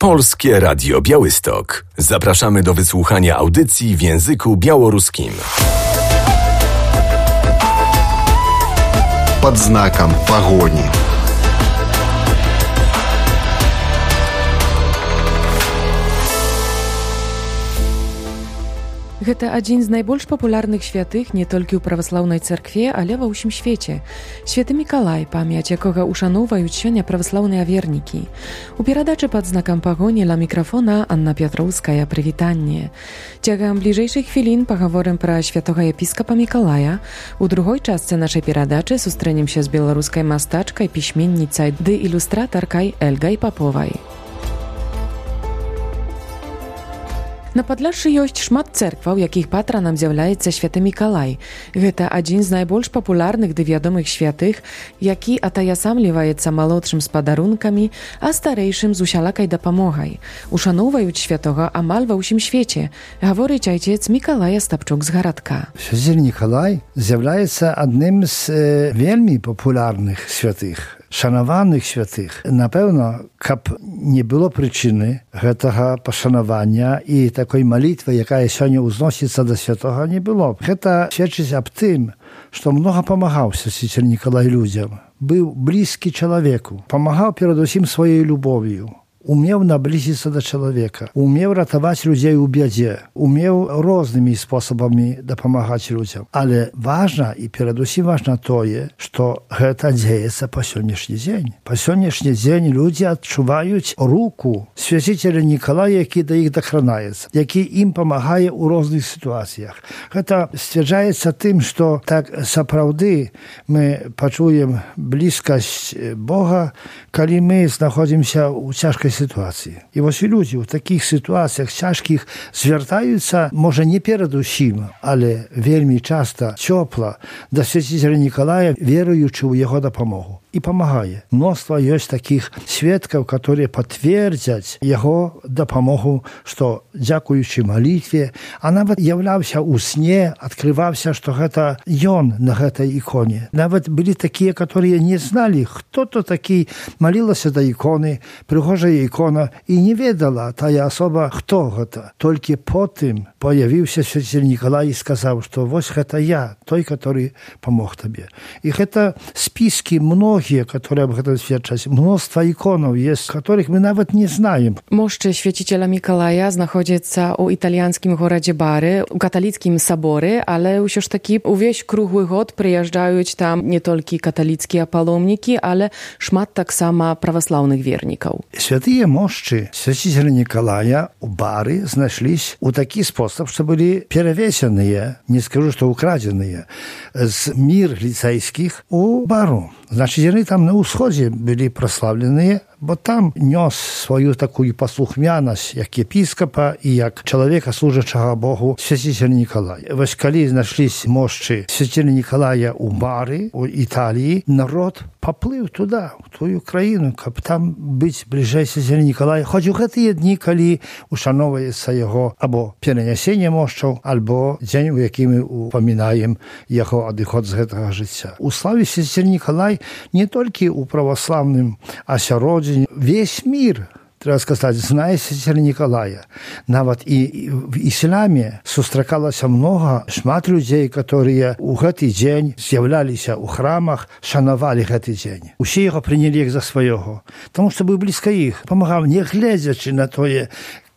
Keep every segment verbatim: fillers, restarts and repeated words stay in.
Polskie Radio Białystok. Zapraszamy do wysłuchania audycji w języku białoruskim. Pod znakiem pogoni. Гэта адзін з найбольш папулярных святых не толькі ў праваслаўнай царкве, але ва ўсім свеце. Святы Мікалай, памяць якога ушаноўваюць сёння праваслаўныя вернікі. У перадачы пад знакам пагоні ля мікрафона Анна Пятроўская, прывітанне. Цягам бліжэйшых хвілін пагаворым пра святога епіскапа Мікалая. У другой частцы нашай перадачы сустрэнемся з беларускай мастачкай, пісьменніцай ды ілюстратаркай Эльгай Паповай. На Падляшшы ёсць шмат цэркваў, якіх патранам з'яўляецца святы Мікалай. Гэта адзін з найбольш папулярных ды вядомых святых, які атаясамліваецца малодшым з падарункамі, а старэйшым з усялакай дапамогай. Ушаноўваюць святога амаль ва ўсім свеце, гаворыць айцец Мікалай Астапчук з гарадка. Святы Мікалай з'яўляецца адным з э, вельмі папулярных святых. Шанаваных святых. Напэўна, каб не было прычыны гэтага пашанавання і такой малітвы, якая сёння ўзносіцца да святога, не было. Гэта сведчыць аб тым, што многа памагаў святы Мікалай людзям. Быў блізкі чалавеку, памагаў перадусім сваёй любов'ю. Умеў наблізіцца да чалавека, умеў ратаваць людзей у бядзе, умеў рознымі спосабамі дапамагаць людзям. Але важна і перадусім важна тое, што гэта дзеецца па сённяшні дзень. Па сённяшні дзень людзі адчуваюць руку свяціцеля Мікалая, які да іх дакранаецца, які ім памагае ў розных сітуацыях. Гэта сцвярджаецца тым, што так сапраўды мы пачуем блізкасць Бога, калі мы знаходзімся ў цяжкай ситуації. І ось люди в таких ситуаціях тяжких звертаються, може не перед усім, але вельми часто тепло до святителя Миколая, віруючи у його допомогу. І помагає. Мноство є таких свідків, які підтвердять його допомогу, що дякуючи молитві, а навіть являвся у сні, відкривався, що це він на цій іконі. Навіть були такі, які не знали, хто то такий, молилася до ікони, пригожа ікона, і не ведала та особа, хто це. Тільки потім появився святитель Миколай і сказав, що ось це я, той, який помог тобі. І це списки многих, которые об этом сведчаць. Мноства іконаў есть, которых мы нават не знаем. Мошчы свяціцеля Мікалая знаходзіцца ў італьянскім горадзе Бары, у каталіцкім саборы, але ўсё ж такі увесь круглы год прыязджаюць там не толькі каталіцкія паломнікі, але шмат таксама праваслаўных вернікаў. Святыя мошчы свяціцеля Мікалая у Бары знайшліся ў такі спосаб, што былі перавесеныя, не скажу, што украдзеныя, з мір ліцэйскіх у Бару. Значит, яны там на ўсходзе былі праславленыя, бо там нёс сваю такую паслухмянасць як епіскапа і як чалавека, служачага Богу, свяціцеля Мікалая. Вось калі знайшліся мошчы свяціцеля Мікалая ў Бары, у Італіі, народ паплыў туда, у тую краіну, каб там быць бліжэй свяціцеля Мікалая. Хоць у гэтыя дні, калі ушаноўваецца яго або перанясенне мошчаў, альбо дзень, у якім мы упамінаем яго адыход з гэтага жыцця. У славе свяціцеля Мікалай не толькі ў праваслаўным асяроддзі, весь мир, треба сказать, знае святителя Миколая. Нават і в ісламе сустракалася много, шмат людей, которые у гэты дзень з'яўляліся ў храмах, шанавалі гэты дзень. Усе яго прынялі як за свайго, тому што быў блізка іх, памагаў, не гледзячы на тое,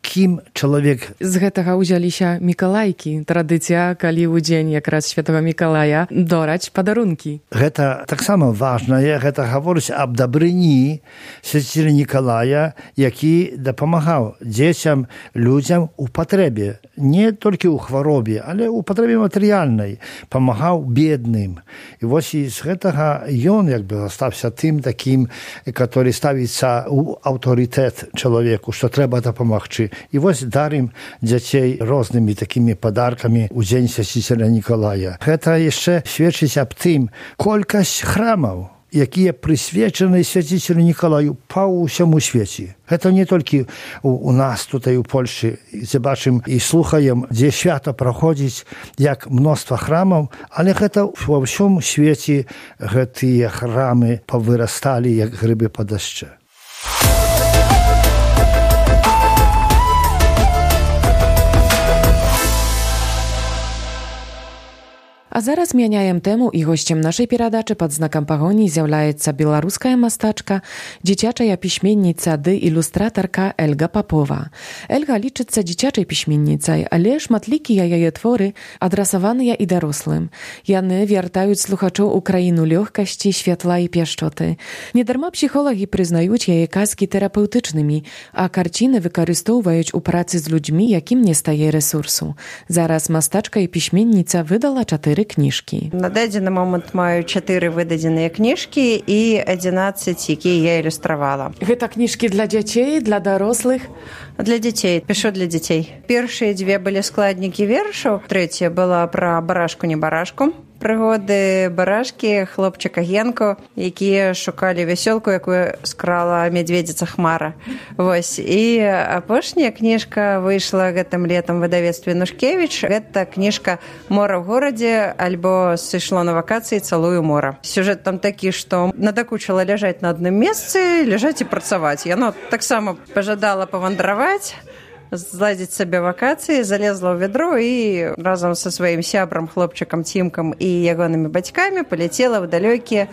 кім чалавек. З гэтага ўзяліся мікалайкі, традыцыя, калі ў дзень якраз святого Мікалая дораць падарункі. Гэта таксама важнае, гэта гаворыць аб дабрыні святителя Мікалая, які дапамагаў дзецям, людзям у патрэбе, не толькі ў хваробе, але ў патрэбе матэрыяльнай, памагаў бедным. І вось з гэтага ён як бы стаўся тым такім, который ставіцца ў аўтарытэт чалавеку, што трэба дапамагчы. І вось дарым дзяцей рознымі такімі падаркамі ў дзень свяціцеля Мікалая. Гэта яшчэ сведчыць аб тым, колькасць храмаў, якія прысвечаны свяціцелю Мікалаю па ўсяму свеце. Гэта не толькі у, у нас тут у Польшы, дзе бачым і слухаем, дзе свята праходзіць, як мноства храмаў, але гэта ва ўсім свеце гэтыя храмы павырасталі, як грыбы па дажджы. А зараз мяняем тэму, і госцем нашай перадачы пад знакам пагоні з'яўляецца беларуская мастачка, дзіцячая пісьменніца ды ілюстратарка Эльга Папова. Эльга лічыцца дзіцячай пісьменніцай, але шматлікія яе творы адрасаваныя і дарослым. Яны вяртаюць слухачоў у краіну лёгкасці, святла і пяшчоты. Недарма псіхолагі прызнаюць яе казкі тэрапеўтычнымі, а карціны выкарыстоўваюць у працы з людзьмі, якім не стае рэсурсу. Зараз мастачка і пісьменніца выдала чатыры кніжкі. На дадзены момант маю чатыры выдадзеныя кніжкі і адзінаццаць, якія я ілюстравала. Гэта кніжкі для дзяцей, для дарослых? Для дзяцей, пішу для дзяцей. Першыя дзве былі складнікі вершаў, трэцяя была пра барашку-не-барашку. Прыгоды барашкі, хлопчыка Генку, якія шукалі вясёлку, якую скрала мядзведзіца Хмара. Вось. І апошняя кніжка выйшла гэтым летам у выдавецтве Нушкевіч. Гэта кніжка «Мора ў горадзе» альбо «Сышло на вакацыі, цалую мора». Сюжэт там такі, што надакучыла ляжаць на адным месцы, ляжаць і працаваць. Яно таксама пажадала павандраваць, зладзіць сабе вакацыі, залезла ў вядро і разам са сваім сябрам, хлопчыкам Цімкам і ягонымі бацькамі паляцела ў далёкі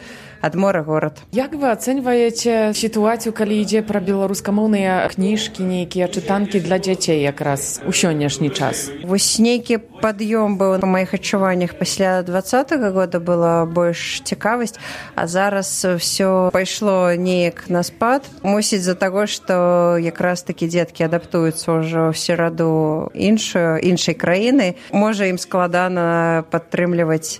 ад мора горад. Як вы ацэньваеце сітуацыю, калі ідзе пра беларускамоўныя кніжкі, нейкія чытанкі для дзяцей якраз у сённяшні час? Вось нейкі пад'ём быў па маіх адчуваннях пасля двадцатага года, была больш цікавасць, а зараз ўсё пайшло неяк на спад. Мусіць з-за таго, што якраз такі дзеткі адаптуюцца ўжо ў сераду іншую, іншай краіны. Можа, ім складана падтрымліваць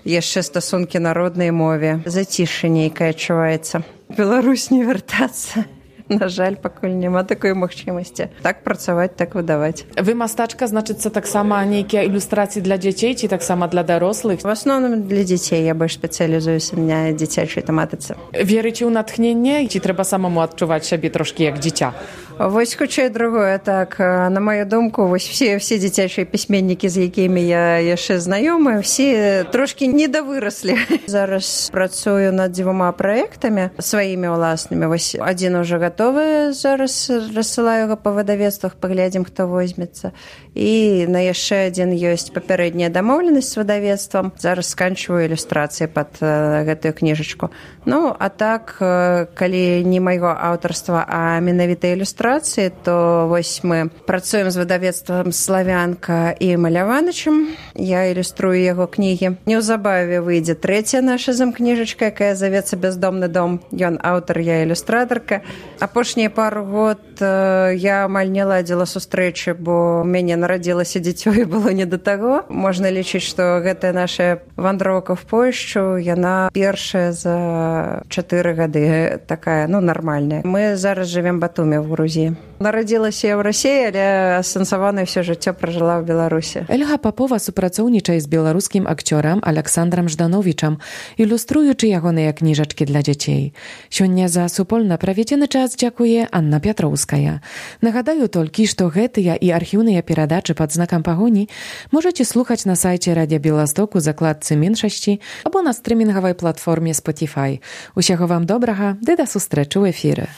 яшчэ стасункі на роднай мове. Зацішша нейкае адчуваецца. Беларусь не вяртацца. На жаль, пакуль няма такой магчымасці. Так працаваць, так выдаваць. Вы мастачка, значыцца, таксама нейкія ілюстрацыі для дзяцей ці таксама для дарослых? В асноўным для дзяцей. Я больш спецыялізуюся на дзіцячай тэматыцы. Верыце ў натхненне ці трэба самому адчуваць сябе трошкі як дзіця? Вось хутчэй другое, так. На маю думку, вось все, все дзіцячыя пісьменнікі, з якімі я яшчэ знаёмы, все трошкі недавыраслі. Зараз працую над дзвюма праектамі сваімі ўласнымі. Вось адзін ужо гатовы, зараз рассылаю яго па выдавецтвах, паглядзім, хто возьмецца. І на яшчэ адзін ёсць папярэдняя дамоўленасць з выдавецтвам. Зараз сканчваю ілюстрацыі пад uh, гэтую кніжачку. Ну, а так, uh, калі не майго аўтарства, а менавіта ілюстрацыі, то вось мы працуем з выдавецтвам «Славянка» і «Маляванычам». Я ілюструю яго кнігі. Неўзабаве выйдзе трэцяя наша замкніжачка, якая завецца «Бяздомны дом». Ён аўтар, я ілюстратарка. Апошнія пару год я амаль не ладзіла сустрэчы, бо ў мяне нарадзілася дзіцё і было не да таго. Можна лічыць, што гэтая наша вандроўка в Польшчу, яна першая за чатыры гады, такая, ну, нармальная. Мы зараз жывем Батуме в Грузіі. Нарадзілася я ў Расіі, але асэнсаванае ўсё жыццё пражыла ў Беларусі. Эльга Папова супрацоўнічае з беларускім акцёрам Аляксандрам Ждановічам, ілюструючы ягоныя кніжачкі для дзяцей. Сёння за супольна праведзены час дзякуе Анна Пятроўская. Нагадаю толькі, што гэтыя і архіўныя перадачы пад знакам пагоні можаце слухаць на сайце Радзя Беласток у закладцы меншасці або на стрымінгавай платформе Spotify. Усяго вам добрага, ды да сустрэчы ў эфіры.